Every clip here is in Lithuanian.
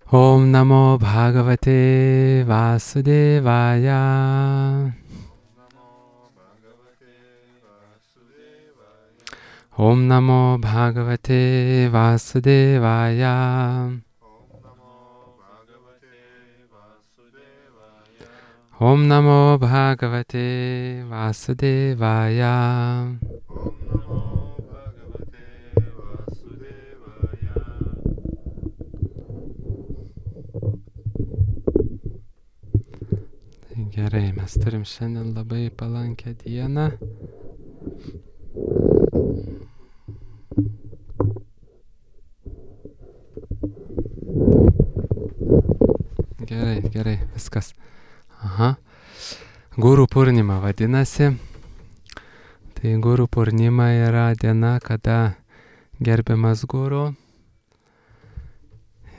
Om Namo Bhagavate Vasudevaya. Om Namo Bhagavate Vasudevaya. Om Namo Bhagavate Vasudevaya. Gerai, mes turim šiandien labai palankę dieną. Gerai, viskas. Aha. Guru Purnima vadinasi. Tai Guru Purnima yra diena, kada gerbiamas guru.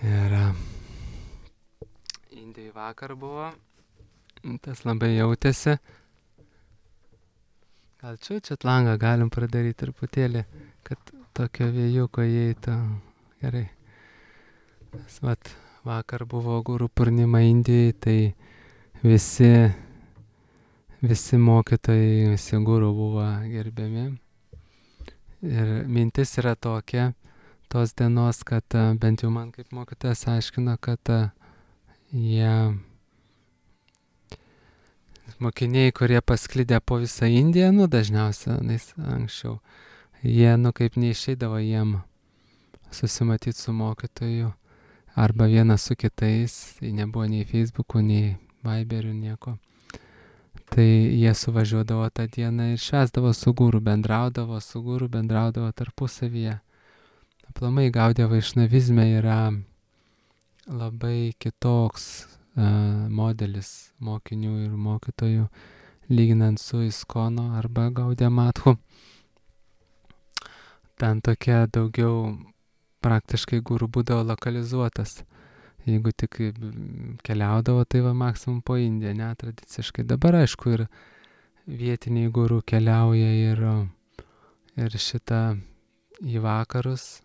Ir Indijai vakar buvo. Tas labai jautėsi. Gal čia langą galim pradaryti truputėlį, kad tokio vėjuko įeitų. Gerai. Vat, vakar buvo Guru Purnima Indijai, tai visi mokytojai, visi guru buvo gerbiami. Ir mintis yra tokia, tos dienos, kad bent jau man kaip mokytojas aiškino, kad mokiniai, kurie pasklidę po visą Indiją, dažniausia, anksčiau, jie, kaip neišeidavo jiem susimatyti su mokytoju, arba vienas su kitais, tai nebuvo nei Facebook'ų, nei Viber'ų, nieko. Tai jie suvažiuodavo tą dieną ir švęsdavo su guru, bendraudavo tarpusavyje. Aplamai Gaudiya vaišnavizme yra labai kitoks modelis mokinių ir mokytojų, lyginant su Iskono arba Gaudiya Mathu. Ten tokia daugiau praktiškai guru būdavo lokalizuotas. Jeigu tik keliaudavo, tai va maksimum po Indiją, netradiciškai. Dabar aišku ir vietiniai guru keliauja ir šitą į vakarus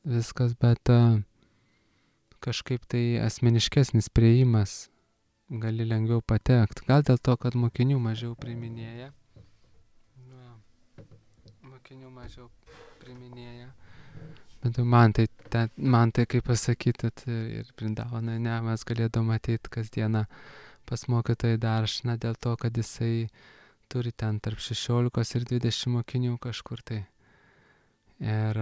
viskas, bet kažkaip tai asmeniškesnis priėjimas, gali lengviau patekti. Gal dėl to, kad mokinių mažiau priiminėja. Bet man tai kaip pasakyti, ir Vrindavane, mes galėdom ateiti kasdieną pas mokytoją Daršną dėl to, kad jisai turi ten tarp 16 ir 20 mokinių kažkur tai. Ir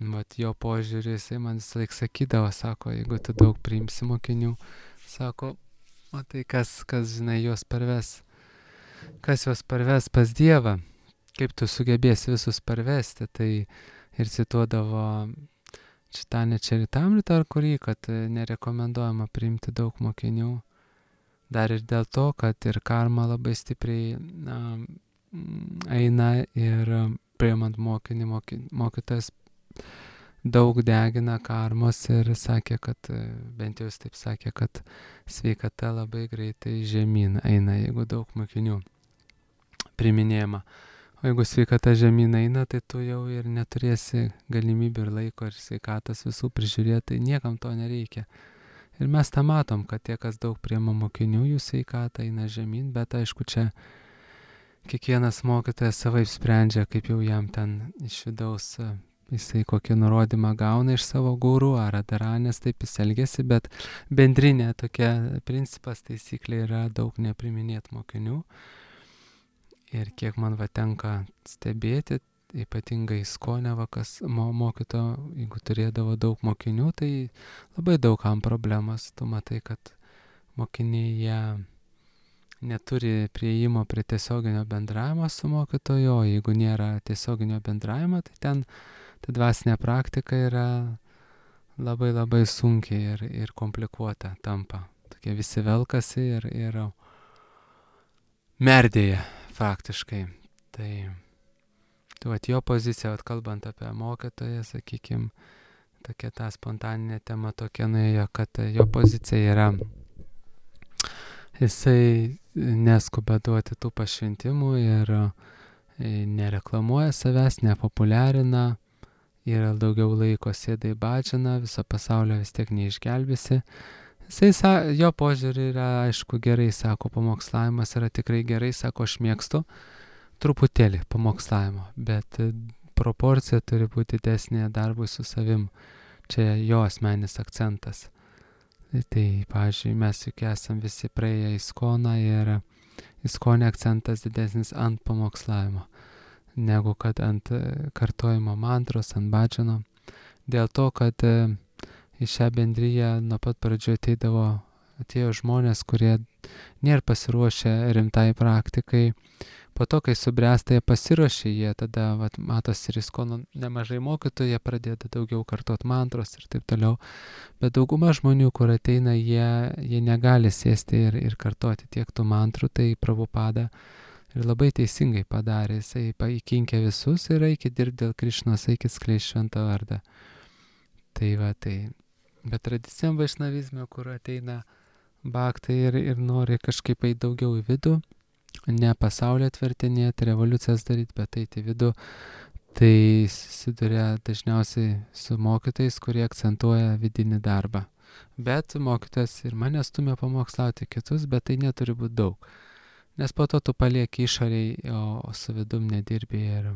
vat jo požiūrį, jisai man visą laik sakydavo, sako, jeigu tu daug priimsi mokinių, sako, o tai kas žinai, juos parves pas Dievą, kaip tu sugebėsi visus parvesti, tai ir cituodavo Čitanya Čaritamritą, ar kurį, kad nerekomenduojama priimti daug mokinių, dar ir dėl to, kad ir karma labai stipriai eina ir priimant mokinį, mokytojas daug degina karmos ir sakė, kad, bent jau jis taip sakė, kad sveikata labai greitai žemyn eina, jeigu daug mokinių priminėjama. O jeigu sveikata žemyn eina, tai tu jau ir neturėsi galimybių ir laiko ir sveikatas visų prižiūrėti, tai niekam to nereikia. Ir mes tą matom, kad tie, kas daug priima mokinių, jų sveikata eina žemyn, bet aišku, čia kiekvienas mokytojas savaip sprendžia, kaip jau jam ten iš vidaus jisai kokį nurodymą gauna iš savo guru ar adaranės, taip jis elgesi, bet bendrinė tokia principas, taisyklė yra daug nepriminėti mokinių. Ir kiek man tenka stebėti, ypatingai Iskone kas mokyto, jeigu turėdavo daug mokinių, tai labai daugam problemas. Tu matai, kad mokiniai jie neturi prieimo prie tiesioginio bendravimo su mokytoju, o jeigu nėra tiesioginio bendravimo, tai ten ta dvasinė praktika yra labai labai sunkiai ir komplikuota tampa. Tokie visi velkasi ir merdėja faktiškai. Tai jo pozicija, kalbant apie mokytoją, sakykime, tokia ta spontaninė tema tokia nuėjo, kad jo pozicija yra, jisai neskuba duoti tų pašventimų ir nereklamuoja savęs, nepopuliarina yra daugiau laiko sėda į badžiną, viso pasaulio vis tiek neišgelbėsi. Jo požiūrį yra, aišku, gerai, sako, pamokslavimas yra tikrai gerai, sako, aš mėgstu truputėlį pamokslavimo, bet proporcija turi būti didesnė darbui su savim. Čia jo asmenis akcentas. Tai, pavyzdžiui, mes juk esam visi praėję ISKONą ir ISKONE akcentas didesnis ant pamokslavimo, negu kad ant kartojimo mantros, ant badžino. Dėl to, kad į šią bendryją nuo pat pradžių atėjo žmonės, kurie nėra pasiruošę rimtai praktikai. Po to, kai subręsta, jie pasiruošė, jie tada, matosi ir ISKONO nemažai mokytojų, jie pradeda daugiau kartot mantros ir taip toliau. Bet dauguma žmonių, kur ateina, jie negali sėsti ir kartoti tiek tų mantrų, tai Prabhupada ir labai teisingai padarė. Jisai įkinkė visus ir eikit dirbti dėl Krišnos, eikit skleisti šventą vardą. Tai. Bet tradiciniam vaišnavizme, kur ateina bhaktai ir nori kažkaip eiti daugiau į vidų, ne pasaulio atvertinėti, revoliucijas daryti, bet eiti į vidų, tai susiduria dažniausiai su mokytojais, kurie akcentuoja vidinį darbą. Bet mokytojas ir mane stumia pamokslauti kitus, bet tai neturi būti daug. Nes po to tu palieki išoriai, o su vidum nedirbi ir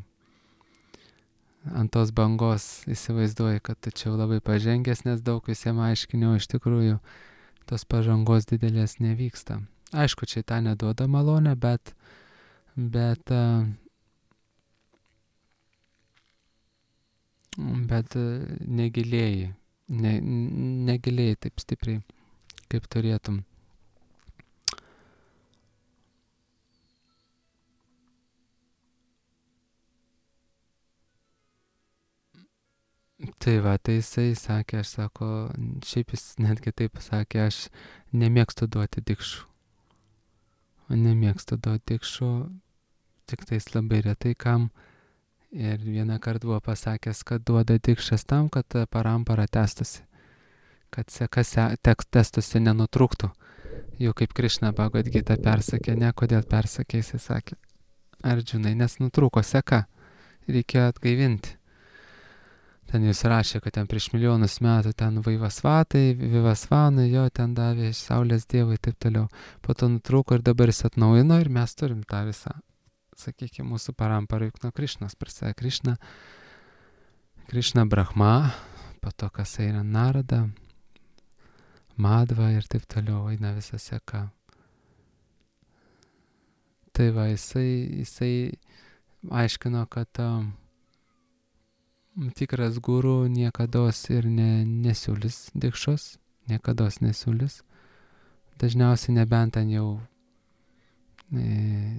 ant tos bangos įsivaizduoji, kad tu čia labai pažengęs, nes daug visiems aiškiniau, iš tikrųjų tos pažangos didelės nevyksta. Aišku, čia tą neduoda malonę, bet negilėjai taip stipriai, kaip turėtum. Tai jisai sakė, šiaip jis netgi taip sakė, aš nemėgstu duoti dikšų. Tik tais labai retai kam. Ir vieną kartą buvo pasakęs, kad duoda dikšas tam, kad parampara tęstusi. Kad seka tęstusi nenutrūktų. Jau kaip Krišna Bhagavad Gita persakė, ne kodėl persakė, jisai sakė, Arjunai, nes nutrūko seka, reikėjo atgaivinti. Ten jis rašė, kad ten prieš milijonus metų ten Vivasvanai, jo ten davė Saulės dievai ir taip toliau. Po to nutrūko ir dabar jis atnaujino ir mes turim tą visą, sakykime, mūsų paramparą juk nuo Krišnos prasideda Krišna Brahma, po to kas eina Narada, Madhva ir taip toliau eina visa seka. Tai jisai aiškino, kad tikras guru niekados ir nesiūlys dikšos, niekados nesiūlys. Dažniausiai nebent ten jau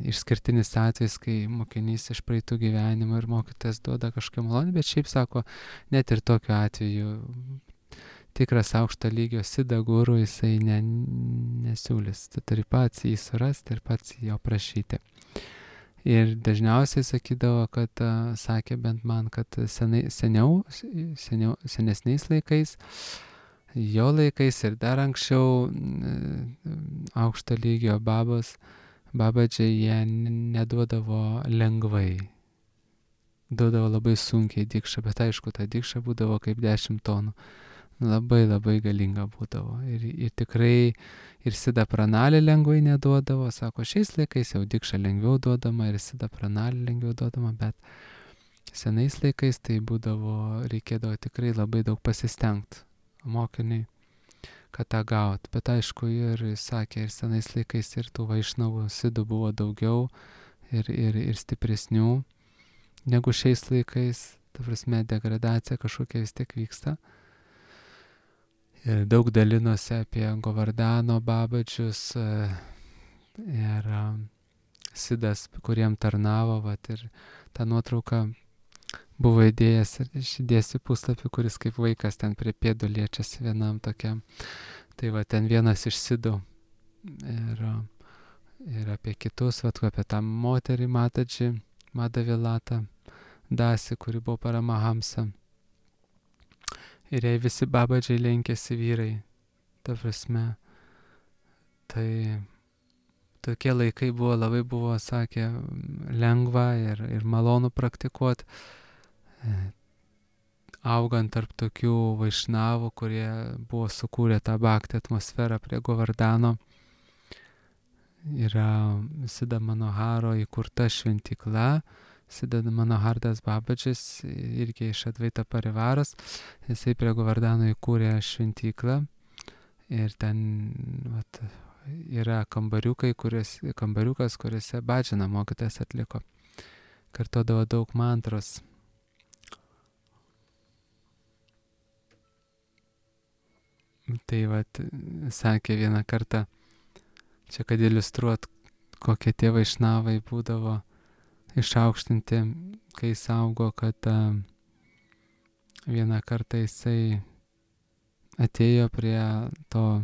išskirtinis atvejis, kai mokinys iš praeitų gyvenimų ir mokytojas duoda kažkokią malonę, bet šiaip sako, net ir tokiu atveju tikras aukšto lygio sida guru jisai nesiūlys. Tu turi pats jį surasti ir pats jo prašyti. Ir dažniausiai sakydavo, kad sakė bent man, kad senesniais laikais, jo laikais ir dar anksčiau aukšto lygio babadžiai jie neduodavo lengvai. Duodavo labai sunkiai dikšą, bet aišku, ta dikša būdavo kaip 10 tonų. Labai labai galinga būdavo. Ir tikrai ir Sida Pranalį lengvai neduodavo. Sako, šiais laikais jau dikša lengviau duodama ir Sida Pranalį lengviau duodama, bet senais laikais tai reikėdavo tikrai labai daug pasistengti mokiniai, kad tą gaut. Bet aišku, ir sakė, ir senais laikais ir tų vaišnavų Sidų buvo daugiau ir stipresnių negu šiais laikais. Ta prasme, degradacija kažkokia vis tiek vyksta. Ir daug dalinosi apie Govardhano babadžius ir Sidas, kuriem tarnavo, ir tą nuotrauką buvo įdėjęs ir išdėsiu puslapį, kuris kaip vaikas ten prie pėdų liečiasi vienam tokiam. Tai ten vienas iš Sidų ir apie kitus, apie tą moterį Madhavilata Dasi, kuri buvo Paramahamsa. Ir jei visi babadžiai lenkėsi vyrai, ta prasme, tai tokie laikai labai buvo, sakė, lengva ir malonu praktikuoti. augant tarp tokių vaišnavų, kurie buvo sukūrę tą bhakti atmosferą prie Govardhano, yra Siddha Manoharo įkurta šventykla, Siddha Manohardas Babaджis, irgi iš Advaita Parivaros, jisai prie Govardhano įkūrė šventyklą ir ten yra kambariukas, kuriuose bhajana mokytojas atliko. Kartodavo daug mantros. Tai sakė vieną kartą, čia kad iliustruot, kokie tie vaišnavai būdavo išaukštinti, kai jis augo, kad vieną kartą jisai atėjo prie to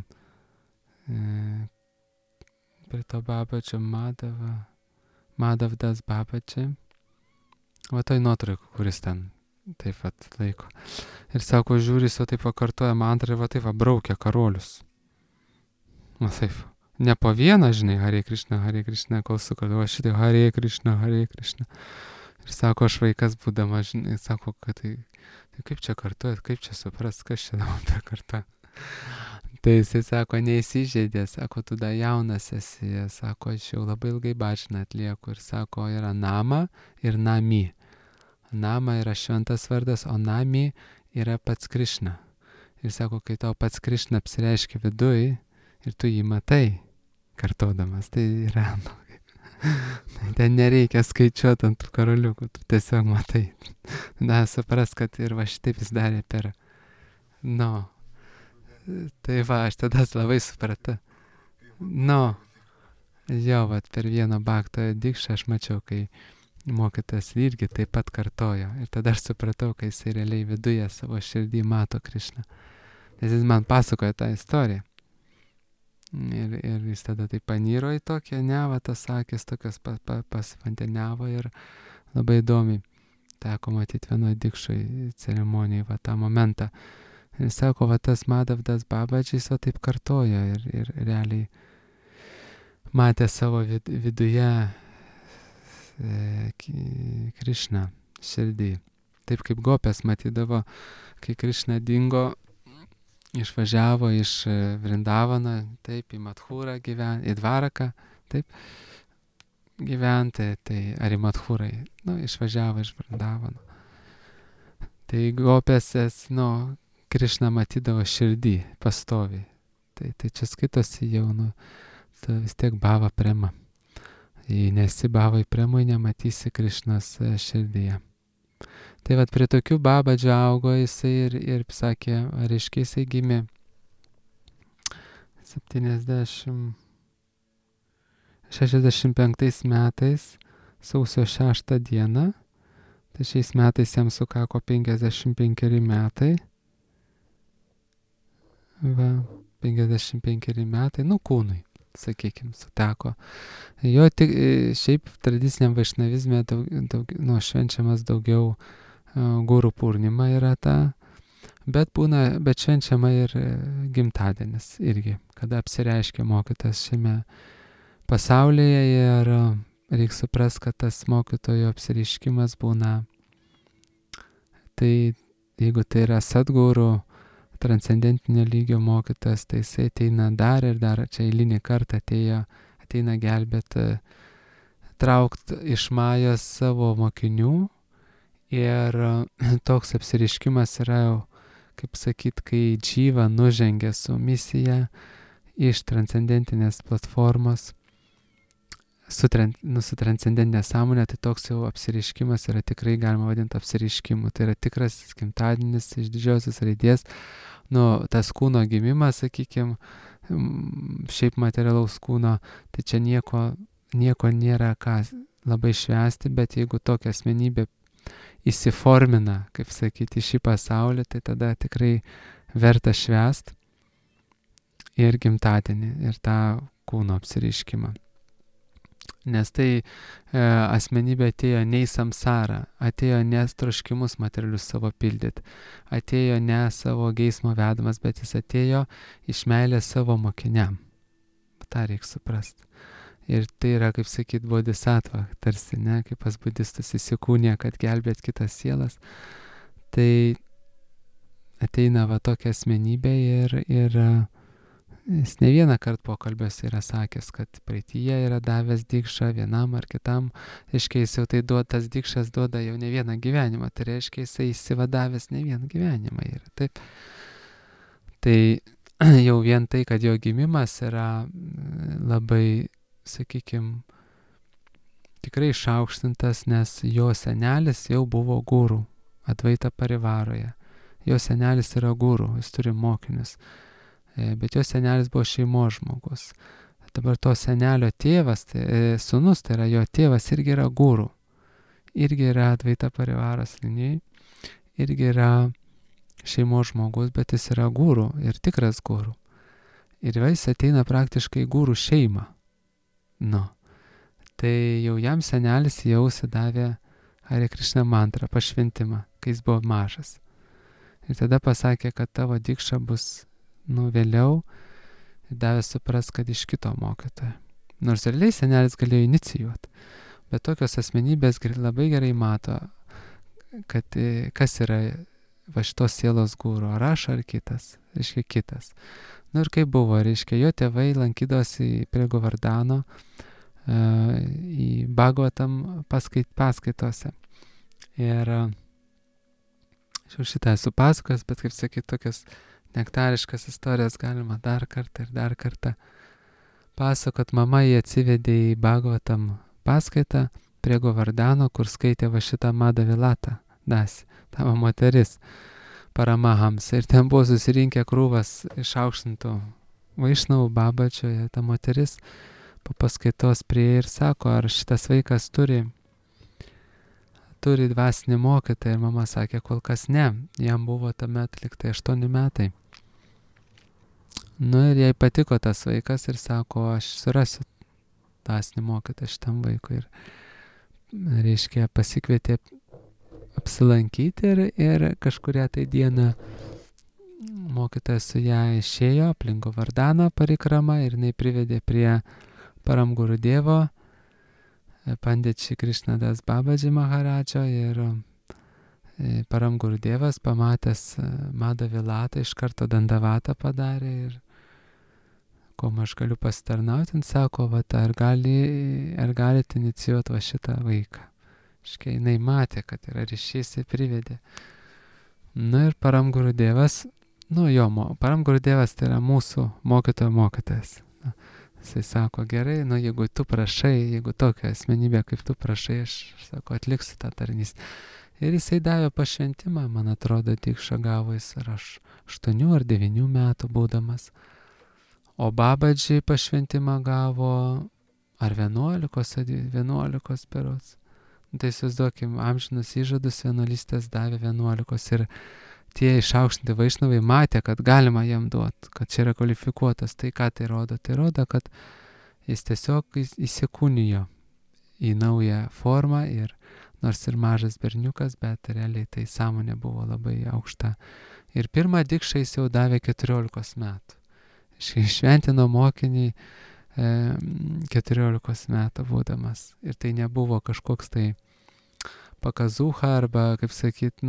Babadžio Madhavdas Babadži, toj nuotraukų, kuris ten taip laiko. Ir sako, žiūri, jis taip pakartoja mantrą ir taip braukia karolius. Taip, ne po vieną, žinai, Hare Krishna, kol sukartoja šitai Hare Krishna. Ir sako, aš vaikas būdamas, žinai, sako, kad tai kaip čia kartuojat, kaip čia supras, kas čia dabar perkarta. Tai jisai sako, neįsižeidė, sako, tu da jaunas esi, sako, aš jau labai ilgai bhajaną atlieku ir sako, yra nama ir nami. Nama yra šventas vardas, o nami yra pats Krishna. Ir sako, kai tau pats Krishna apsireiškia viduj ir tu jį matai, kartodamas, tai yra, ten nereikia skaičiuoti ant tų karoliukų, tu tiesiog matai. Supras, kad ir šitaip jis darė per, tai aš tada labai supratau. Per vieną bhaktojo dikšą aš mačiau, kai mokytas irgi taip pat kartojo. Ir tada aš supratau, kai jisai realiai viduje savo širdį mato Krishną. Nes jis man pasakoja tą istoriją. Ir jis tada taip paniro į tokią tas akis, tokios pasvanteniavo ir labai įdomiai teko matyti vienoje dikšoje ceremonijai tą momentą. Ir sako, tas Madhavdas Babadžis taip kartojo ir realiai matė savo viduje Krishną širdį. Taip kaip gopės matydavo, kai Krishna dingo, išvažiavo iš Vrindavano, taip, į Madhūrą gyventi, į Dvaraką, taip, gyventi, tai ar į Madhūrą, išvažiavo iš Vrindavano. Tai gopėsės, Krishna matydavo širdį pastoviai. Tai čia skaitosi jau, tu vis tiek bhava prema. Jei nesi bhavai premui, nematysi Krishnos širdyje. Tai prie tokių Babadžio augo jisai ir sakė, reiškia jisai gimė 65 metais, sausio 6 dieną, tai šiais metais jam sukako 55 metai. 55 metai, kūnui, sakykime, suteko. Jo šiaip tradiciniam vaišnavizme švenčiamas daugiau Guru Purnima yra ta, bet švenčiama ir gimtadienis irgi, kada apsireiškia mokytas šiame pasaulyje ir reikia suprasti, kad tas mokytojo apsireiškimas būna, tai jeigu tai yra Sadguru, transcendentinio lygio mokytas, tai jisai ateina dar ir dar, čia eilinį kartą ateina gelbėti, traukti iš Majos savo mokinių ir toks apsireiškimas yra jau, kaip sakyt, kai Dživa nužengia su misija iš transcendentinės platformos su transcendentinė sąmonė, tai toks jau apsireiškimas yra tikrai galima vadinti apsireiškimu. Tai yra tikras gimtadienis iš didžiosios raidės. Tas kūno gimimas, sakykime, šiaip materialaus kūno, tai čia nieko nėra ką labai švęsti, bet jeigu tokia asmenybė įsiformina, kaip sakyti, į šį pasaulį, tai tada tikrai verta švęsti ir gimtadienį, ir tą kūno apsireiškimą. Nes tai asmenybė atėjo ne į samsarą, atėjo ne troškimus materialius savo pildyti, atėjo ne savo geismo vedamas, bet jis atėjo iš meilės savo mokiniam. tą reikia suprasti. Ir tai yra, kaip sakyt, bodhisattva, tarsi, ne, kaip pas budistus įsikūnė, kad gelbėt kitas sielas. Tai ateina va tokia asmenybė ir jis ne vieną kartą pokalbiuose yra sakęs, kad praeityje yra davęs dikšą vienam ar kitam, reiškia jis jau tai tas dikšas duoda jau ne vieną gyvenimą, tai reiškia jisai įsivadavęs ne vieną gyvenimą yra, taip. Tai jau vien tai, kad jo gimimas yra labai, sakykime, tikrai išaukštintas, nes jo senelis jau buvo guru Advaita Parivaroje. Jo senelis yra guru, jis turi mokinius. Bet jo senelis buvo šeimos žmogus. Dabar to senelio tėvas, sūnus, tai yra jo tėvas, irgi yra guru. Irgi yra Advaita Parivaros linijai. Irgi yra šeimos žmogus, bet jis yra guru ir tikras guru. Ir jis ateina praktiškai guru šeimą. Nu. Tai jau jam senelis jau davė Hare Krishna mantrą, pašventimą, kai jis buvo mažas. Ir tada pasakė, kad tavo dikša bus vėliau ir davė supras, kad iš kito mokytojo. Nors realiai senelis galėjo inicijuoti, bet tokios asmenybės labai gerai mato, kad kas yra va šitos sielos guru, ar aš, ar kitas, reiškia kitas. Ir kaip buvo, reiškia, jo tėvai lankydavosi prie Govardhano į Bhagavatam paskaitose. Ir šitą esu pasakojęs, bet kaip sakyt, tokias nektariškas istorijas galima dar kartą pasakot. Mama jį atsivedė į Bhagavatam paskaitą prie Govardhano, kur skaitė va šitą Madhavilata Dasi, tavo moteris, Paramahamsa. Ir ten buvo susirinkę krūvas išaukštintų vaišnavų Babačioje. Ta moteris po paskaitos prie ir sako, ar šitas vaikas turi dvasinį mokytoją. Ir mama sakė, kol kas ne. Jam buvo tuomet liktai 8 metai. Ir jai patiko tas vaikas ir sako, aš surasiu dvasinį mokytoją šitam vaikui. Ir reiškia, pasikvietė apsilankyti ir kažkurią tai dieną mokytojas su ją išėjo aplink Govardhano parikramą ir jinai privedė prie Param Gurudevo, Pandit Shri Krishnadas Babaji Maharadžo. Ir Param Gurudevas pamatęs Madhavilatą iš karto dandavatą padarė ir kuom aš galiu pasitarnauti, sako, ar galite inicijuoti va šitą vaiką. Iškai jinai matė, kad yra ryšys, jis privedė. Ir Param Gurudevas, Param Gurudevas tai yra mūsų mokytojas. Jisai sako, gerai, jeigu tu prašai, jeigu tokia asmenybė kaip tu prašai, aš sako, atliksiu tą tarnystę. Ir jisai davė pašventimą, man atrodo, dikšą gavo jis ar 8 ar 9 metų būdamas. O Babaji pašventimą gavo ar 11 berods. Tai įsivaizduokim, amžinus įžadus vienuolystės davė 11 ir tie išaukštinti vaišnavai matė, kad galima jam duoti, kad čia yra kvalifikuotas. Tai ką tai rodo? Tai rodo, kad jis tiesiog įsikūnijo į naują formą ir nors ir mažas berniukas, bet realiai tai sąmonė buvo labai aukšta. Ir pirmą dikšą jis jau davė 14 metų. Šventino mokinį 14 metų būdamas. Ir tai nebuvo kažkoks tai pakazuha arba, kaip sakyt,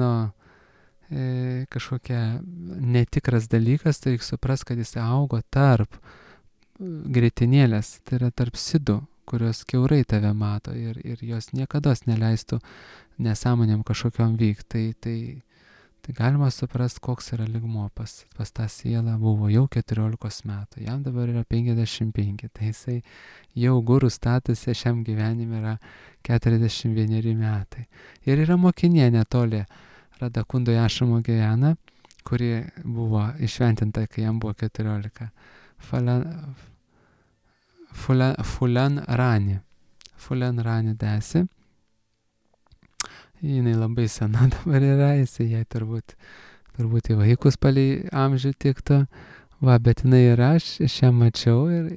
kažkokia netikras dalykas, tai reikia supras, kad jis augo tarp grietinėlės, tai yra tarp sidų, kurios kiaurai tave mato ir jos niekados neleistų nesąmonėm kažkokiom vykti. Tai galima suprast, koks yra lygmuo pas tą sielą buvo jau 14 metų, jam dabar yra 55, tai jisai jau gurų statuse šiam gyvenime yra 41 metai. Ir yra mokinė netoli Radakundoje ašramo gyvena, kuri buvo išventinta, kai jam buvo 14. Fulan Rani Dasi. Jinai labai sena dabar yra, jisai jai turbūt į vaikus palei amžių tiktų. Bet jinai yra, aš ją mačiau ir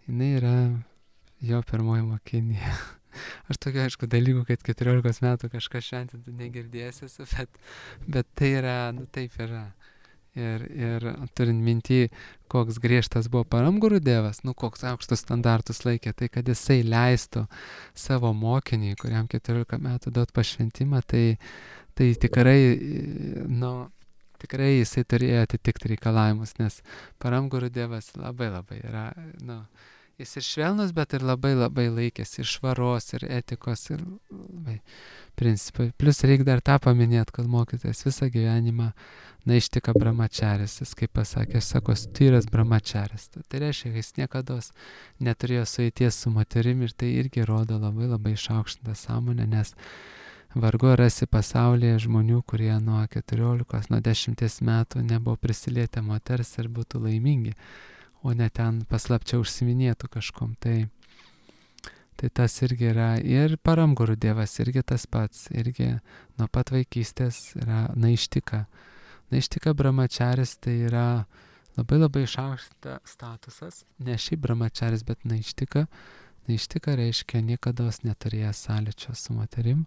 jinai yra jo pirmoji mokinė. Aš tokiu, aišku, dalykų, kad 14 metų kažką šventinti negirdėsiu, bet tai yra, taip yra. Ir turint minty, koks griežtas buvo Param Gurudevas, koks aukštus standartus laikė, tai kad jisai leistų savo mokiniui, kuriam 14 metų duot pašventimą, tai tikrai, tikrai jisai turėjo atitikti reikalavimus, nes Paramguru Dievas labai yra, jis ir švelnus, bet ir labai laikėsi ir švaros, ir etikos, ir labai principai. Plius reikia dar tą paminėti, kad mokytojas visą gyvenimą naištika brahmačaris. Jis kaip pasakė, sako, tyras brahmačaris. Tai reiškia, kad jis niekada neturėjo sueities su moterimi ir tai irgi rodo labai išaukštintą sąmonę, nes vargu rasi pasaulyje žmonių, kurie nuo 14, nuo 10 metų nebuvo prisilietę moters ir būtų laimingi, o ne ten paslapčia užsiminėtų kažkom. Tai tas irgi yra. Ir Paramguru Dievas irgi tas pats. Irgi nuo pat vaikystės yra naištika. Naištika brahmačaris tai yra labai išaukštas statusas. Ne šiaip brahmačaris, bet naištika. Naištika reiškia niekados neturėjęs sąlyčio su moterim.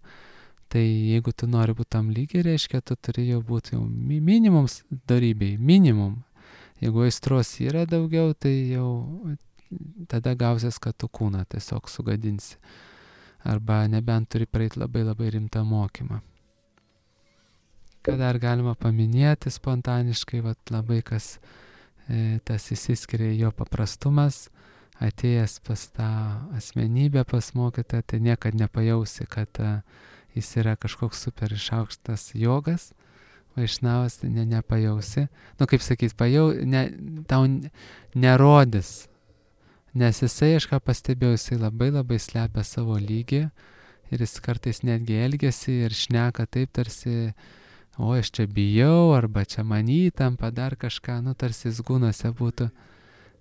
Tai jeigu tu nori būti tam lygiai, reiškia, tu turi jau būti jau minimums darybei. Minimum. Jeigu aistros yra daugiau, tai jau tada gausies, kad tu kūną tiesiog sugadinsi. Arba nebent turi praeiti labai rimtą mokymą. Ką dar galima paminėti spontaniškai, labai kas tas įsiskiria jo paprastumas, atėjęs pas tą asmenybę, pas mokytoją, tai niekad nepajausi, kad jis yra kažkoks super išaukštas jogas, vaišnavas, tai nepajausi. Kaip sakyt, tau nerodys. Nes jisai, aš ką pastebėjau, jisai labai slepia savo lygį ir jis kartais netgi elgiasi ir šneka taip tarsi, aš čia bijau, arba čia man įtampa, dar kažką, tarsi jis gūnose būtų.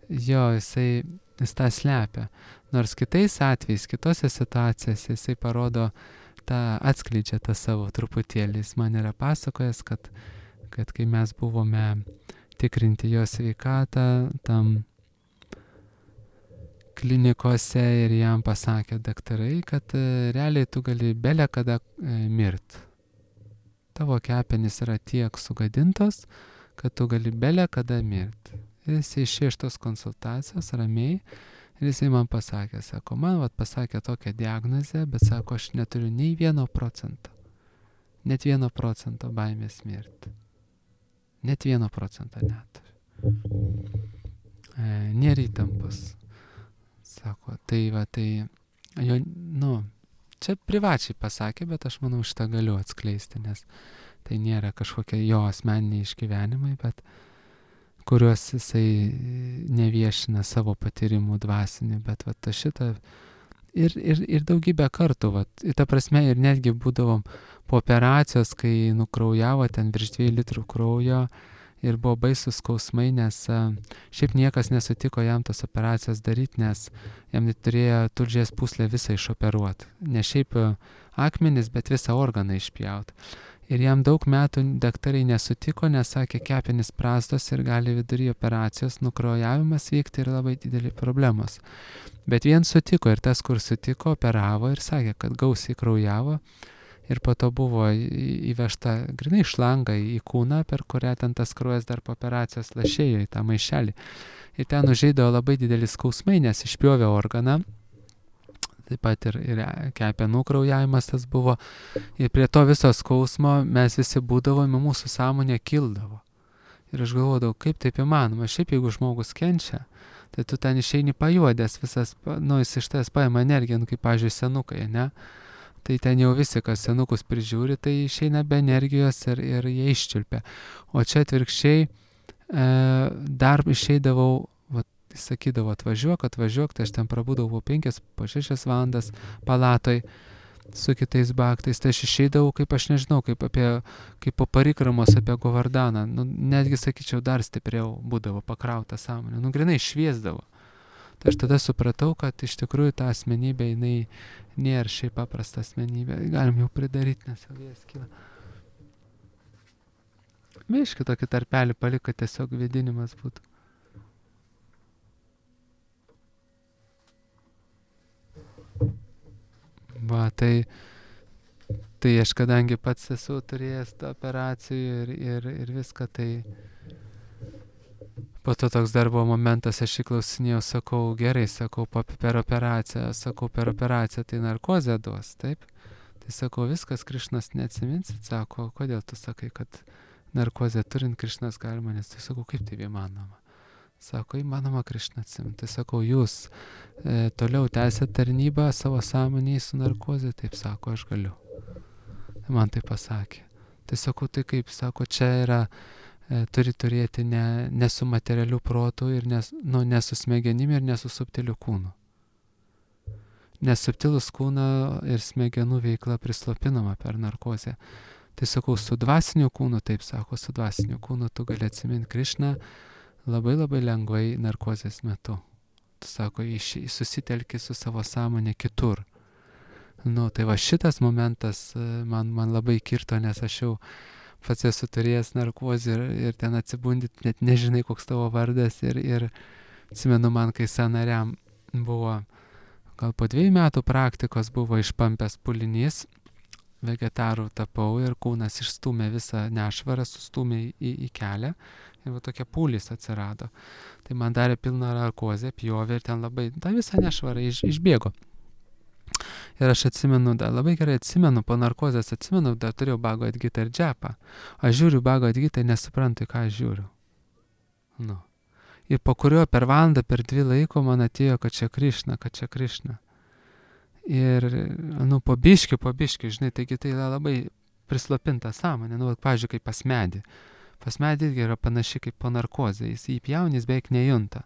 Jo, jis tą slepia. Nors kitais atvejais, kitose situacijose jisai parodo, atskleidžia tą savo truputėlį. Jis man yra pasakojęs, kad kai mes buvome tikrinti jo sveikatą, tam klinikose ir jam pasakė daktarai, kad realiai tu gali bele kada mirt. Tavo kepenys yra tiek sugadintos, kad tu gali bele kada mirt. Jis išėjo iš tos konsultacijos ramiai ir jisai man pasakė, sako, man pasakė tokią diagnozę, bet sako, aš neturiu nei 1%. Net 1% baimės mirti. Net 1% neturiu. Nėra įtampos. Sako, čia privačiai pasakė, bet aš manau, šitą galiu atskleisti, nes tai nėra kažkokie jo asmeniniai išgyvenimai, bet kuriuos jisai neviešina savo patyrimų dvasinį, bet šitą ir daugybę kartų, ta prasme, ir netgi būdavom po operacijos, kai nukraujavo ten virš 2 litrų kraujo, ir buvo baisus skausmai, nes šiaip niekas nesutiko jam tos operacijos daryti, nes jam turėjo tulžies pūslę visą išoperuoti. Ne šiaip akmenis, bet visą organą išpjauti. Ir jam daug metų daktarai nesutiko, nes sakė, kepenys prastos ir gali vidury operacijos nukraujavimas vykti ir labai didelį problemos. Bet vien sutiko ir tas, kur sutiko, operavo ir sakė, kad gausiai kraujavo. Ir po to buvo įvežta grinai šlanga į kūną, per kurią ten tas kraujas dar po operacijos lašėjo į tą maišelį. Ir ten užeidavo labai didelis skausmai, nes išpjovė organą. Taip pat ir kepenų kraujavimas tas buvo. Ir prie to viso skausmo mes visi būdavome, mūsų sąmonė kildavo. Ir aš galvodavau, kaip taip įmanoma. Šiaip jeigu žmogus kenčia, tai tu ten išeini pajuodęs visas, jis iš tavęs paima energiją, kaip, pavyzdžiui, senukai, ne? Tai ten jau visi, kas senukus prižiūri, tai išeina be energijos ir jie iščiulpia. O čia atvirkščiai dar išeidavau, sakydavo, atvažiuok, tai aš ten prabūdavau 5-6 valandas palatoj su kitais baktais, tai aš išeidavau, kaip aš nežinau, kaip po parikramos apie Govardaną, netgi, sakyčiau, dar stipriau būdavo pakrauta sąmonė, grinai šviesdavo. Tai aš tada supratau, kad iš tikrųjų ta asmenybė, jinai nėra šiaip paprasta asmenybė. Galim jau pridaryti, nes jau vėjas kyla. Biškį tokį tarpelį palik, kad tiesiog vėdinimas būtų. Tai aš kadangi pats esu turėjęs tą operacijų ir viską, tai po to toks dar buvo momentas, aš įklausinėjau, sakau, gerai, sakau, per operaciją tai narkozę duos, taip? Tai sakau, viskas, Krišnas neatsiminsit, sako, kodėl tu sakai, kad narkozę turint Krišnas gali manęs. Tai sakau, kaip tai įmanoma? Sako, įmanoma Krišną atsimint. Tai sakau, jūs toliau tęsėt tarnybą savo sąmonėje su narkozė? Taip sako, aš galiu. Man tai pasakė. Tai sakau, tai kaip, sako, čia yra, turi turėti ne su materialiu protu ir ne su smegenimi ir ne su subtiliu kūnu. Nes subtilus kūno ir smegenų veikla prislopinama per narkozę. Tai sakau, su dvasiniu kūnu, taip sako, su dvasiniu kūnu tu gali atsiminti Krišną labai labai lengvai narkozės metu. Tu sako, susitelki su savo sąmonė kitur. Tai va šitas momentas man labai kirto, nes aš jau pats esu turėjęs narkozę ir ten atsibundi, net nežinai, koks tavo vardas. Ir atsimenu man, kai sąnariam buvo, gal po 2 metų praktikos buvo išpampęs pulinys, vegetarų tapau ir kūnas išstūmė visą nešvarą, sustūmė į kelią ir va tokia pūlis atsirado. Tai man darė pilną narkozę, pjovė ir ten labai, ta visa nešvara išbėgo. Ir aš atsimenu, labai gerai atsimenu, po narkozės atsimenu, dar turėjau Bhagavad Gitą ir džepą. Aš žiūriu Bhagavad Gitą ir nesuprantu, ką aš žiūriu. Ir po kurio per valandą, per 2 laiko man atėjo, kad čia Krišna. Ir, po biškį, žinai, taigi tai yra labai prislopinta sąmonė. Pavyzdžiui, kaip pas medį. Pas medį irgi yra panaši kaip po narkozė. Jis įpjaunys beveik nejunta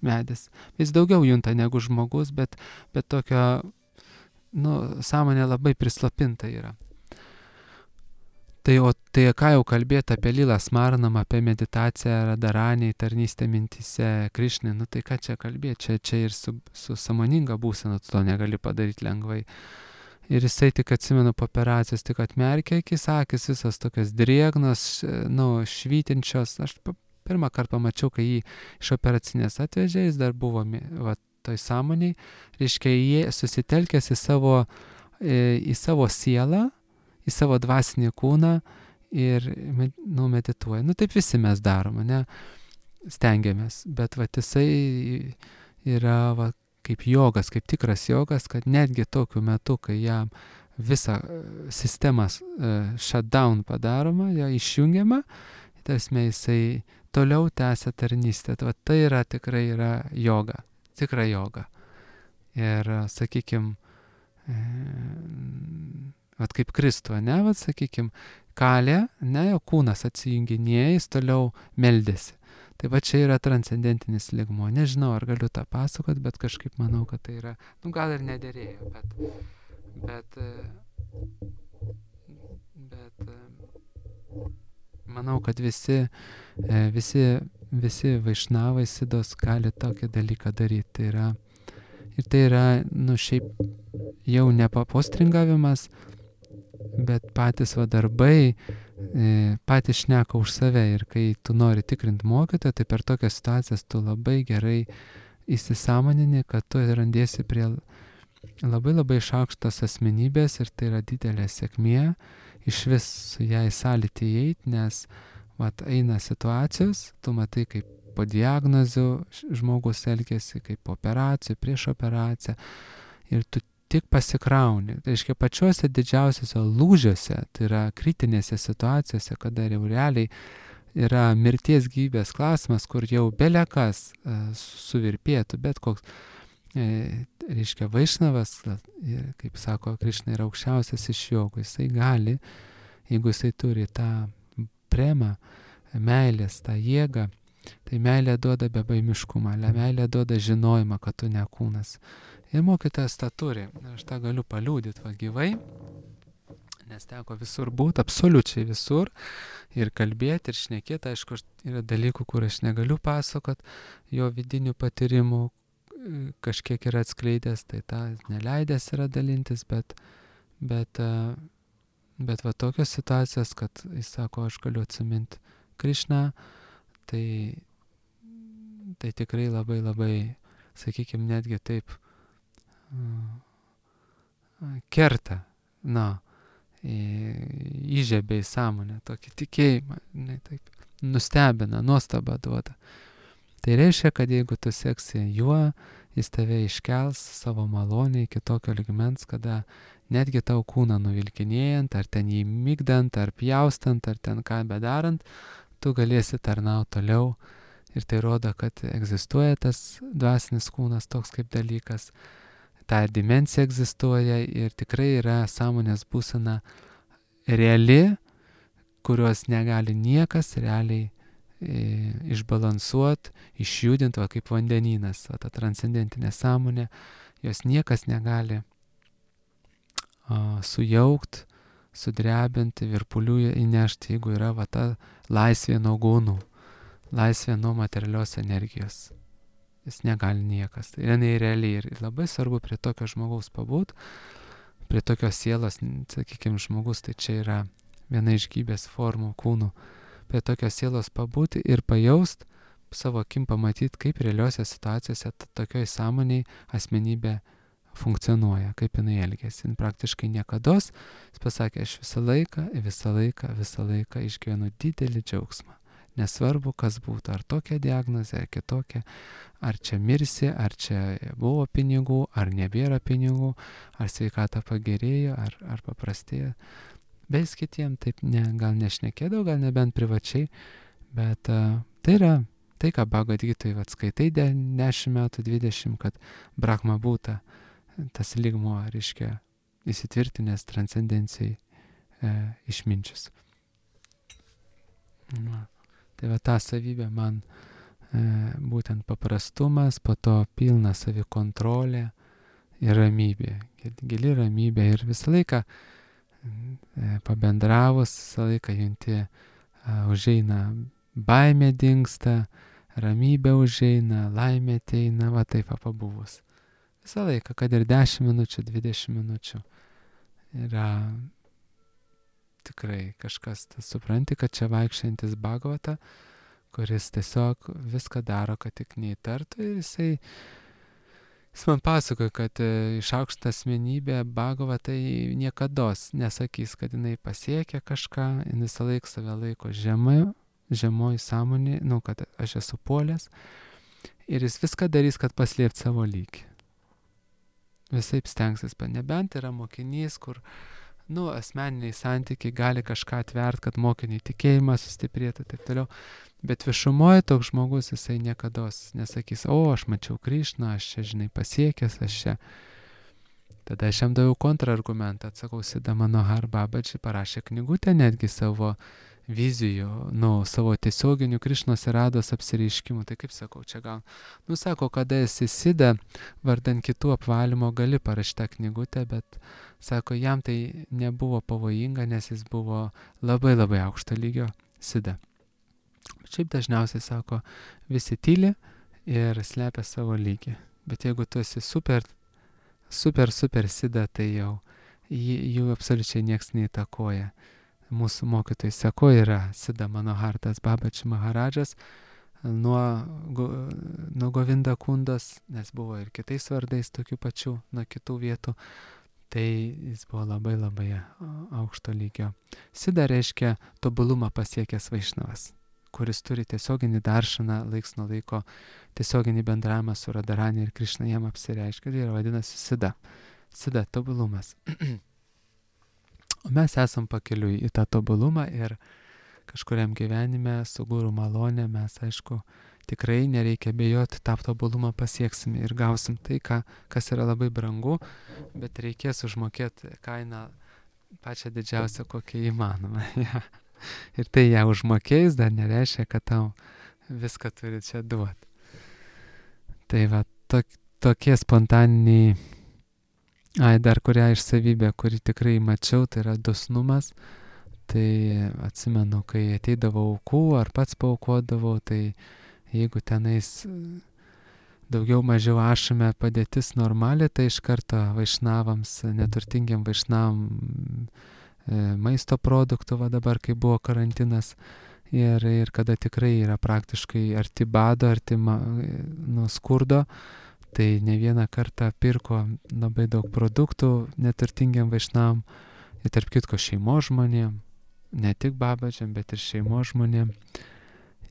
medis. Jis daugiau junta negu žmogus, bet tokio, sąmonė labai prislopinta yra. Tai ką jau kalbėti apie Lilą Smaranam, apie meditaciją, Radharaniai, tarnystę mintyse, Krišnai, tai ką čia kalbėti, čia ir su sąmoninga būsena tu to negali padaryti lengvai. Ir jisai tik atsimenu po operacijos, tik atmerkė akis visas tokias drėgnos, švytinčios. Aš pirmą kartą pamačiau, kai jį iš operacinės atvežė, jis dar buvo toj sąmoniai, reiškia, jie susitelkęs į savo sielą, į savo dvasinį kūną ir medituoja. Taip visi mes darom, stengiamės, bet jisai yra kaip jogas, kaip tikras jogas, kad netgi tokiu metu, kai jam visa sistema shutdown padaroma, ją išjungiama, tarsi jisai toliau tęsia tarnystę. Tai yra tikrai yra joga, tikra joga. Ir, sakykime, kaip Kristų, sakykime, kalė, jo kūnas atsijunginėja, jis toliau meldėsi. Tai čia yra transcendentinis lygmuo. Nežinau, ar galiu tą pasakot, bet kažkaip manau, kad tai yra, gal ir nederėjo, bet manau, kad visi vaišnavai sidos gali tokį dalyką daryti. Tai yra, šiaip jau ne postringavimas, bet patys darbai patys šneka už save. Ir kai tu nori tikrinti mokytoją, tai per tokias situacijas tu labai gerai įsisąmonini, kad tu randiesi prie labai labai šaukštos asmenybės ir tai yra didelė sėkmė iš vis su ją į sąlytį įeiti, nes eina situacijos, tu matai, kaip po diagnozių žmogus elgiasi, kaip po operacijų, prieš operaciją ir tu tik pasikrauni. Tai reiškia, pačiuose didžiausiuose lūžiuose, tai yra kritinėse situacijose, kada jau realiai yra mirties gyvybės klausimas, kur jau belekas suvirpėtų, bet koks, reiškia, vaišnavas, kaip sako Krišna, yra aukščiausias iš jogų. Jisai gali, jeigu jisai turi tą premą, meilės, tą jėgą, tai meilė duoda bebaimiškumą, meilė duoda žinojimą, kad tu ne kūnas. Ir mokytojas tą turi. Aš tą galiu paliūdyti gyvai, nes teko visur būti, absoliučiai visur, ir kalbėti, ir šnekėti. Aišku, yra dalykų, kur aš negaliu pasakot, jo vidinių patyrimų kažkiek yra atskleidęs, tai tą neleidęs yra dalintis, bet tokios situacijos, kad jis sako, aš galiu atsiminti Krišną, tai tikrai labai labai, sakykime, netgi taip kerta, įžiebia į sąmonę, tokį tikėjimą, taip nustebina, nuostabą duoda. Tai reiškia, kad jeigu tu seksi juo, jis tave iškels savo malonę iki tokio lygmens, kada netgi tau kūną nuvilkinėjant, ar ten jį migdant, ar pjaustant, ar ten ką bedarant, tu galėsi tarnauti toliau. Ir tai rodo, kad egzistuoja tas dvasinis kūnas toks kaip dalykas, ta dimensija egzistuoja ir tikrai yra sąmonės būsena reali, kurios negali niekas realiai išbalansuoti, išjudinti, va kaip vandenynas, va ta transcendentinė sąmonė, jos niekas negali sujaukti, sudrebinti, virpulių įnešti, jeigu yra va ta laisvė nuo gūnų, laisvė nuo materialios energijos. Jis negali niekas. Tai jinai realiai ir labai svarbu prie tokio žmogaus pabūt, prie tokios sielos, sakykime, žmogus, tai čia yra viena iš gyvybės formų kūnų, prie tokios sielos pabūti ir pajaust, savo akim pamatyti, kaip realiuose situacijose tokioj sąmoniai asmenybė funkcionuoja, kaip jinai elgėsi. Jis praktiškai niekados, jis pasakė, aš visą laiką išgyvenu didelį džiaugsmą. Nesvarbu, kas būtų, ar tokia diagnozė, ar kitokia, ar čia mirsi, ar čia buvo pinigų, ar nebėra pinigų, ar sveikata pagerėjo, ar paprastėjo. Beis kitiem taip gal nešnekėdavo, gal nebent privačiai, bet tai yra tai, ką Bhagavad Gitoj skaitai 10 metų, 20, kad Brahma būta, tas lygmuo, reiškia, įsitvirtinęs transcendencijai išminčius. Tai va ta savybė man būtent paprastumas, po to pilna savikontrolė ir ramybė, gili ramybė ir visą laiką pabendravus, visą laiką junti, užeina baimė dingsta, ramybė užeina, laimė ateina, va taip pabuvus. Visą laiką, kad ir 10 minučių, 20 minučių yra tikrai kažkas, supranti, kad čia vaikščiantis Bhagavata, kuris tiesiog viską daro, kad tik neįtartų ir jis man pasakoja, kad išaukšta asmenybė Bhagavatai niekados nesakys, kad jinai pasiekia kažką, jinai visą laiką save laiko žemoj sąmonė, kad aš esu puolęs ir jis viską darys, kad paslėpti savo lygį. Visaip stengsis, nebent yra mokinys, kur asmeniniai santykiai gali kažką atvert, kad mokiniai tikėjimas sustiprėtų ir taip toliau. Bet viešumoje toks žmogus, jisai niekados nesakys, aš mačiau Krišną, aš čia, pasiekęs, aš čia. Tada aš jam daviau kontrargumentą, atsakau, Siddha Manohar Babaji parašė knygutę netgi savo vizijų, savo tiesioginių Krišnos ir Rados apsireiškimų. Tai kaip sakau, čia gal, sako, kada esi Siddha, vardan kitų apvalymo gali parašyti tą knygutę, bet sako, jam tai nebuvo pavojinga, nes jis buvo labai labai aukšto lygio Siddha. Šiaip dažniausiai sako, visi tyli ir slepia savo lygį. Bet jeigu tu esi super Siddha, tai jau jų absoliučiai nieks neįtakoja. Mūsų mokytojai sako, yra Siddha Manohartas Babaji Maharadžas nuo Govinda Kundos, nes buvo ir kitais vardais tokių pačių, nuo kitų vietų. Tai jis buvo labai labai aukšto lygio. Siddha reiškia tobulumą pasiekęs vaišnavas, kuris turi tiesioginį daršaną, laiks nuo laiko tiesioginį bendravimą su Radharani ir Krišna jam apsireiškia. Tai yra vadinasi Siddha. Siddha tobulumas. O mes esam pakeliui į tą tobulumą ir kažkuriam gyvenime su guru malonė mes, aišku, tikrai nereikia bijoti, tą tobulumą pasieksim ir gausim tai, kas yra labai brangu, bet reikės užmokėti kainą pačią didžiausią, kokią įmanoma. Ir tai ją užmokėjus dar nereiškia, kad tau viską turi čia duoti. Tai va, tokie spontaniniai, dar kurią iš savybę, kurį tikrai mačiau, tai yra dosnumas. Tai atsimenu, kai ateidavau aukų ar pats paaukodavau, tai jeigu tenais daugiau mažiau ašame padėtis normali, tai iš karto vaišnavams, neturtingiam vaišnavam maisto produktų, va dabar, kai buvo karantinas, ir kada tikrai yra praktiškai arti bado, arti skurdo, tai ne vieną kartą pirko labai daug produktų neturtingiam vaišnavam, ir tarp kitko šeimos žmonėm, ne tik Babadžiam, bet ir šeimos žmonėm.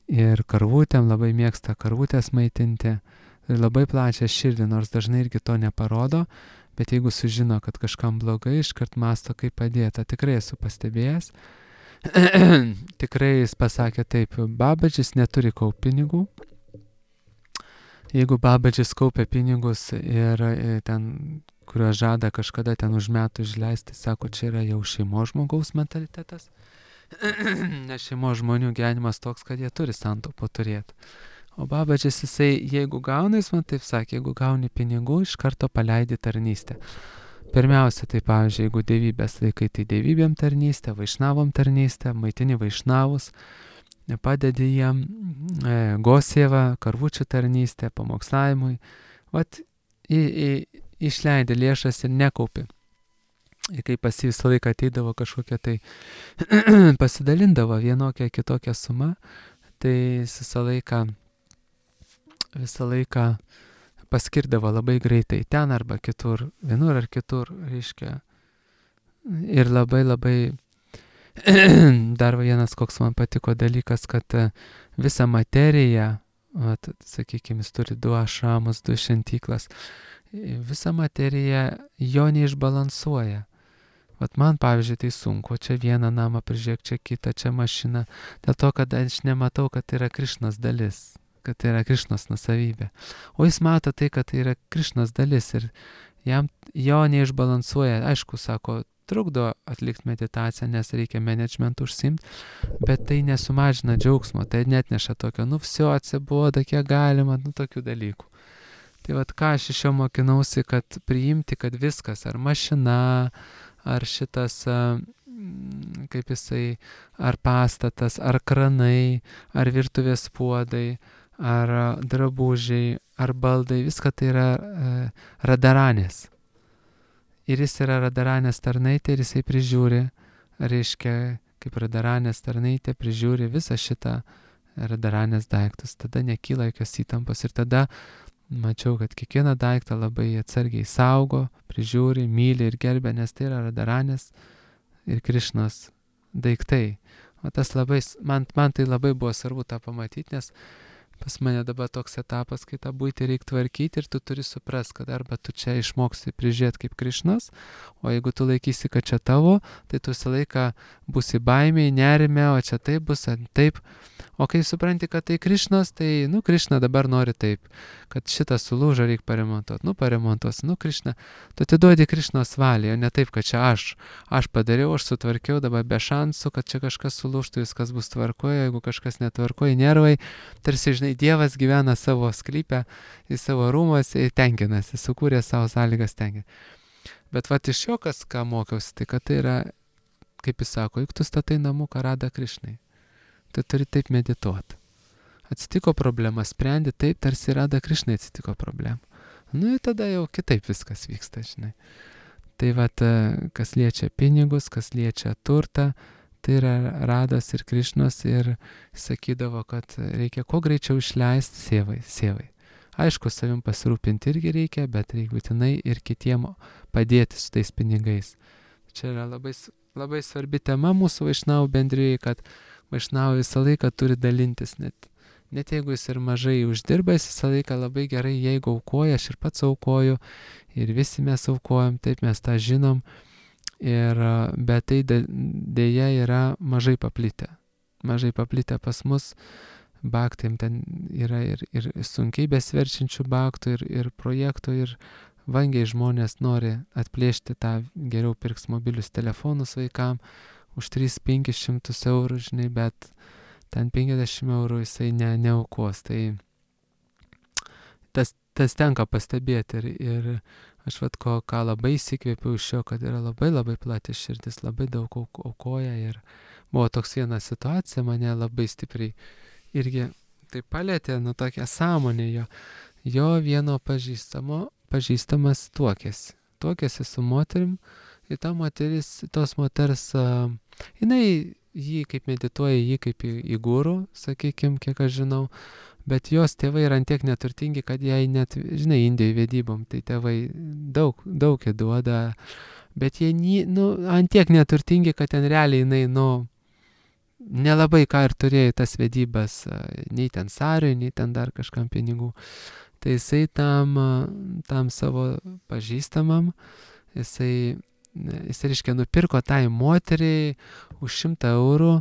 ir karvutėm, labai mėgsta karvutės maitinti. Ir labai plačią širdį, nors dažnai irgi to neparodo, bet jeigu sužino, kad kažkam blogai, iškart masto, kaip padėta. Tikrai esu pastebėjęs. Tikrai jis pasakė taip, Babadžis neturi kaupt pinigų. Jeigu Babadžis kaupia pinigus ir ten, kuriuos žada kažkada ten už metų išleisti, sako, čia yra jau šeimos žmogaus mentalitetas. Nes šeimos žmonių gyvenimas toks, kad jie turi santaupų turėti. O Babadžis jisai, jeigu gauna, jis man taip sakė, jeigu gauni pinigų, iš karto paleidi tarnystę. Pirmiausia, tai pavyzdžiui, jeigu dievybės laikai, tai dievybėm tarnystė, vaišnavom tarnystė, maitini vaišnavus, padedi jiem gosievą, karvučių tarnystę, pamokslavimui. Vat išleidė lėšas ir nekaupi. Ir kai pas jį visą laiką ateidavo kažkokia tai pasidalindavo vienokia kitokia suma, tai jis visą laiką paskirdavo labai greitai ten arba kitur, vienur ar kitur, reiškia. Ir labai dar vienas, koks man patiko dalykas, kad visą materiją, sakykime, jis turi 2 ašramus, 2 šventyklas, visą materiją jo neišbalansuoja. Vat man, pavyzdžiui, tai sunku, čia vieną namą prižiūrėk, čia kitą, čia mašiną, dėl to, kad aš nematau, kad tai yra Krišnos dalis, kad tai yra Krišnos nusavybė. O jis mato tai, kad tai yra Krišnos dalis ir jo neišbalansuoja. Aišku, sako, trukdo atlikti meditaciją, nes reikia menedžmentų užsimti, bet tai nesumažina džiaugsmo, tai netneša tokio, vsio atsiboda, kiek galima, tokių dalykų. Tai vat ką aš iš jo mokinausi, kad priimti, kad viskas, ar mašina, ar šitas, kaip jisai, ar pastatas, ar kranai, ar virtuvės puodai, ar drabužiai, ar baldai, viską tai yra radaranės. Ir jis yra radaranės tarnaitė ir jisai prižiūri, reiškia, kaip radaranės tarnaitė prižiūri visą šitą radaranės daiktus. Tada nekyla jokios įtampos ir tada mačiau, kad kiekvieną daiktą labai atsargiai saugo, prižiūri, myli ir gerbia, nes tai yra radaranės ir Krišnos daiktai. O tas labai, man tai labai buvo svarbu tą pamatyti, nes pas mane dabar toks etapas, kai tą buitį reikia tvarkyti ir tu turi suprast, kad arba tu čia išmoksi prižiūrėti kaip Krišnas, o jeigu tu laikysi, kad čia tavo, tai tu visą laiką būsi baimėj, nerime, o čia taip bus, taip. O kai supranti, kad tai Krišnos, tai, Krišna dabar nori taip, kad šitą sulūžą reikia paremontuoti, paremontuos, Krišna, tu atiduodi Krišnos valiai, o ne taip, kad čia aš padariau, aš sutvarkiau, dabar be šansų, kad čia kažkas sulūžtų, viskas bus tvarkoje, jeigu kažkas netvarkoje, nervai, tarsi, žinai, Dievas gyvena savo sklype, į savo rūmuose ir tenkinasi, sukūrė savo sąlygas tenkinti. Bet vat iš jo, ką mokiausi, tai kad tai yra, kaip jis sako, juk tu statai namuką Rada Krišnai. Tai turi taip medituoti. Atsitiko problema, sprendi taip, tarsi Rada Krišnai atsitiko problema. Ir tada jau kitaip viskas vyksta, žinai. Tai vat, kas liečia pinigus, kas liečia turtą, tai yra Radas ir Krišnos ir sakydavo, kad reikia kuo greičiau išleisti sievai. Aišku, savim pasirūpinti irgi reikia, bet reikia būtinai ir kitiem padėti su tais pinigais. Čia yra labai svarbi tema mūsų vaišnavų bendrijai, kad vaišnavai visą laiką turi dalintis, net jeigu jis ir mažai uždirba, jis visą laiką labai gerai, jeigu aukoja, aš ir pats aukoju, ir visi mes aukojam, taip mes tą žinom, bet tai dėja yra mažai paplitę. Mažai paplitę pas mus, baktai ten yra ir sunkiai besverčiančių baktų, ir projektų, ir vangiai žmonės nori atplėšti tą, geriau pirks mobilius telefonus vaikam, už 300-500 eurų, žinai, bet ten 50 eurų jisai neaukos. Tai tas tenka pastebėti ir aš ką labai įsikvėpiau iš jo, kad yra labai plati širdis, labai daug aukoja ir buvo toks viena situacija, mane labai stipriai irgi tai palėtė, tokia sąmonė jo vieno pažįstamas tuokėsi su moterim ir ta moteris, tos moters, jinai jį kaip medituoja, jį kaip į gurų, sakykime, kiek aš žinau, bet jos tėvai yra antiek neturtingi, kad jai net, žinai, Indijai vedybom, tai tėvai daug duoda, bet jie antiek neturtingi, kad ten realiai jinai, nelabai ką ir turėjo į tas vedybas, nei ten Sariui, nei ten dar kažkam pinigų. Tai jisai tam savo pažįstamam, jisai reiškia nupirko tai moteriai už 100 eurų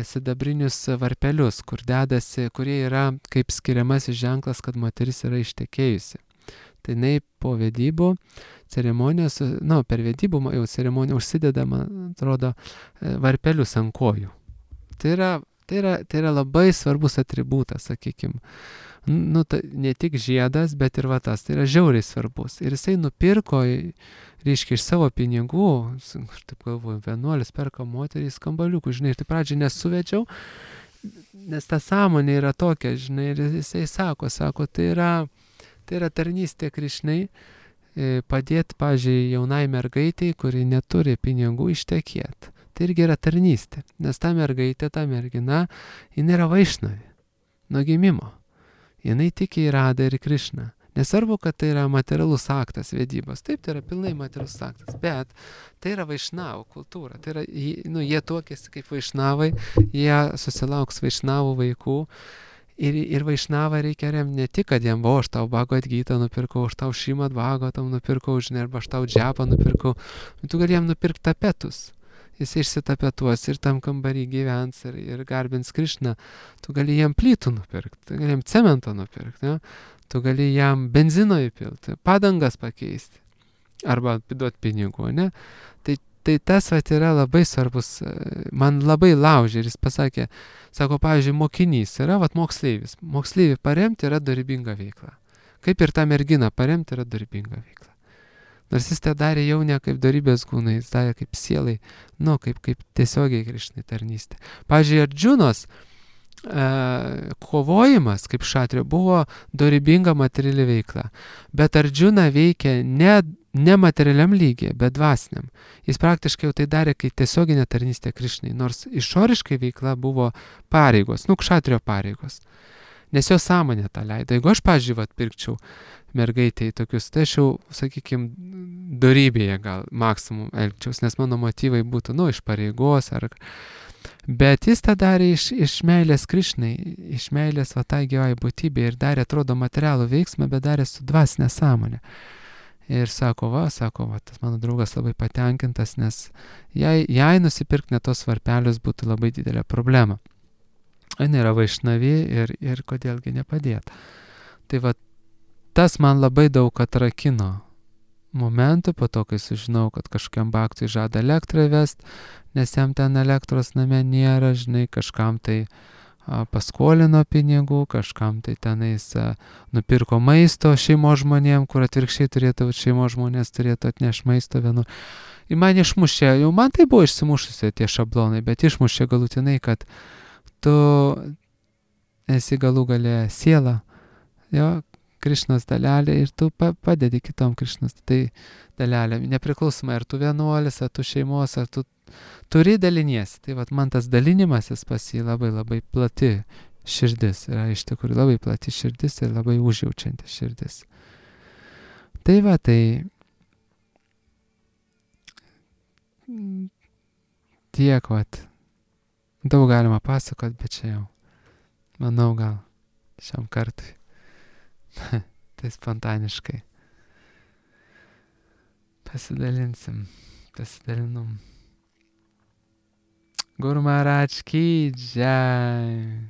sidabrinius varpelius, kur dedasi, kurie yra kaip skiriamasis ženklas, kad moteris yra ištekėjusi. Tai jinai po vedybų ceremonijos, per vedybų jau ceremoniją užsideda, man atrodo, varpelius ant kojų. Tai yra labai svarbus atributas, sakykime. Ne tik žiedas, bet ir tas. Tai yra žiauriai svarbus. Ir jisai nupirko, reiškia, iš savo pinigų, aš taip galvoju, vienuolis perka moterį skambaliukų, žinai, ir tai pradžiai nesuvedžiau, nes ta sąmonė yra tokia, žinai, ir jisai sako, tai yra tarnystė Krišnai, padėti, pavyzdžiui, jaunai mergaitei, kuri neturi pinigų, ištekėti. Tai irgi yra tarnystė, nes ta mergaitė, ta mergina, jinai yra vaišnavė nuo gimimo. Jinai tiki į Radą ir Krišną. Nesvarbu, kad tai yra materialus aktas vedybos. Taip, tai yra pilnai materialus aktas, bet tai yra vaišnavų kultūra. Tai yra, jie tuokėsi kaip vaišnavai, jie susilauks vaišnavų vaikų. Ir vaišnavą reikia remti ne tik, kad jam, aš tau Bhagavad Gitą nupirkau, aš tau Šrimad Bhagavatam nupirkau, žinai, arba aš tau džepą nupirkau. Tu gali jam nupirkti tapetus. Jis išsitapetuos ir tam kambarį gyvens ir garbins Krišną. Tu gali jam plytų nupirkti, tu gali jam cemento nupirkti, ne? Tu gali jam benzino įpilti, padangas pakeisti arba duoti pinigų, ne? Tai tas yra labai svarbus, man labai laužė ir jis pasakė, sako, pavyzdžiui, mokinys yra moksleivis. Moksleivį paremti yra dorybinga veikla. Kaip ir tą merginą paremti yra dorybinga veikla. Nors jis tai darė jau ne kaip dorybės kūnai, jis darė kaip sielai, kaip tiesiogiai Krišnai tarnystė. Pavyzdžiui, Ardžunos kovojimas kaip šatrio buvo dorybinga materiali veikla. Bet Ardžuna veikia ne materialiam lygiai, bet dvasiniam. Jis praktiškai jau tai darė kaip tiesioginė tarnystė Krišnai, nors išoriškai veikla buvo pareigos, kšatrio pareigos. Nes jo sąmonė tą leido. Jeigu aš, pavyzdžiui, pirkčiau mergaitėj tokius, tai aš jau, sakykime, dorybėje gal maksimum elgčiaus, nes mano motyvai būtų, iš pareigos ar... Bet jis tą darė iš meilės Krišnai, iš meilės tai gyvai būtybė ir darė, atrodo, materialų veiksmą, bet darė su dvasinė sąmonė. Ir sako, tas mano draugas labai patenkintas, nes jai nusipirkti net tos varpelius būtų labai didelė problema. Jis yra vaišnavė ir kodėlgi nepadėt. Tai tas man labai daug atrakino momentų, po to, kai sužinau, kad kažkokiam baktui žada elektrą įvest, nes jam ten elektros name nėra, žinai, kažkam tai paskolino pinigų, kažkam tai tenais nupirko maisto šeimos žmonėm, kur atvirkščiai turėtų, šeimos žmonės turėtų atnešti maisto vienu. Ir man išmušė, jau man tai buvo išsimušusi tie šablonai, bet išmušė galutinai, kad tu esi galų gale siela, jo, Krišnos dalelė ir tu padedi kitom Krišnos dalelė. Nepriklausomai, ar tu vienuolis, ar tu šeimos, ar tu turi daliniesi. Tai man tas dalinimasis pas jį labai labai plati širdis. Yra iš tikrųjų labai plati širdis ir labai užjaučianti širdis. Tai tiek, daug galima pasakot, bet čia jau, manau, gal šiam kartui. Tai spontaniškai pasidalinom. Guru Maharaj ki jai.